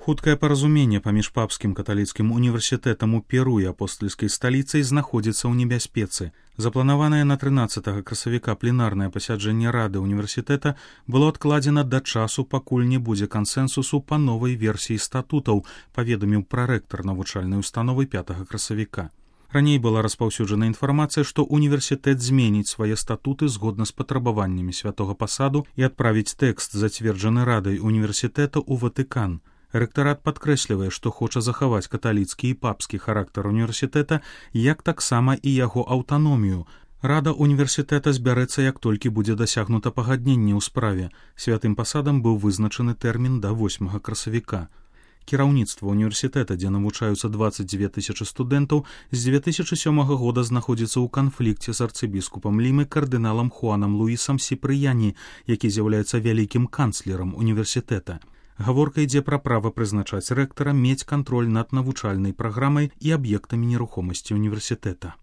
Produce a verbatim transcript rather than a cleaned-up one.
Хуткае паразуменне паміж папскім каталіцкім універсітэтам у Перу і апостальскай сталіцай знаходзіцца ў небяспецы. Запланаванае на трынаццатага красавіка пленарнае пасяджэнне рады універсітэта было адкладзена да часу, пакуль не будзе кансэнсусу па новай версіі статутаў, паведаміў прарэктар навучальнай установы пятага красавіка. Раней была распаўсюджана інфармацыя, што універсітэт зменіць свае статуты згодна з патрабаваннямі святога пасаду і адправіць тэкст, зацверджаны радай універсітэта, ў Ватыкан. Рэктарат падкрэслівае, што хоча захаваць каталіцкі і папскі характар універсітэта, як таксама і яго аўтаномію. Рада універсітэта збярэцца, як толькі будзе дасягнута пагадненне ў справе. Святым пасадам быў вызначаны тэрмін да восьмага красавіка. Кіраўніцтва універсітэта, дзе навучаюцца дваццаць дзве тысячы студэнтаў, з дзве тысячы сёмага года знаходзіцца ў канфлікце з арцыбіскупам Лімы кардыналам Хуанам Луісам Сіпрыяні, які з'яўляецца вялікім канцлерам універсітэта. Гаворка ідзе пра права прызначаць рэктара, мець кантроль над навучальнай праграмай і аб'ектамі нерухомасці універсітэта.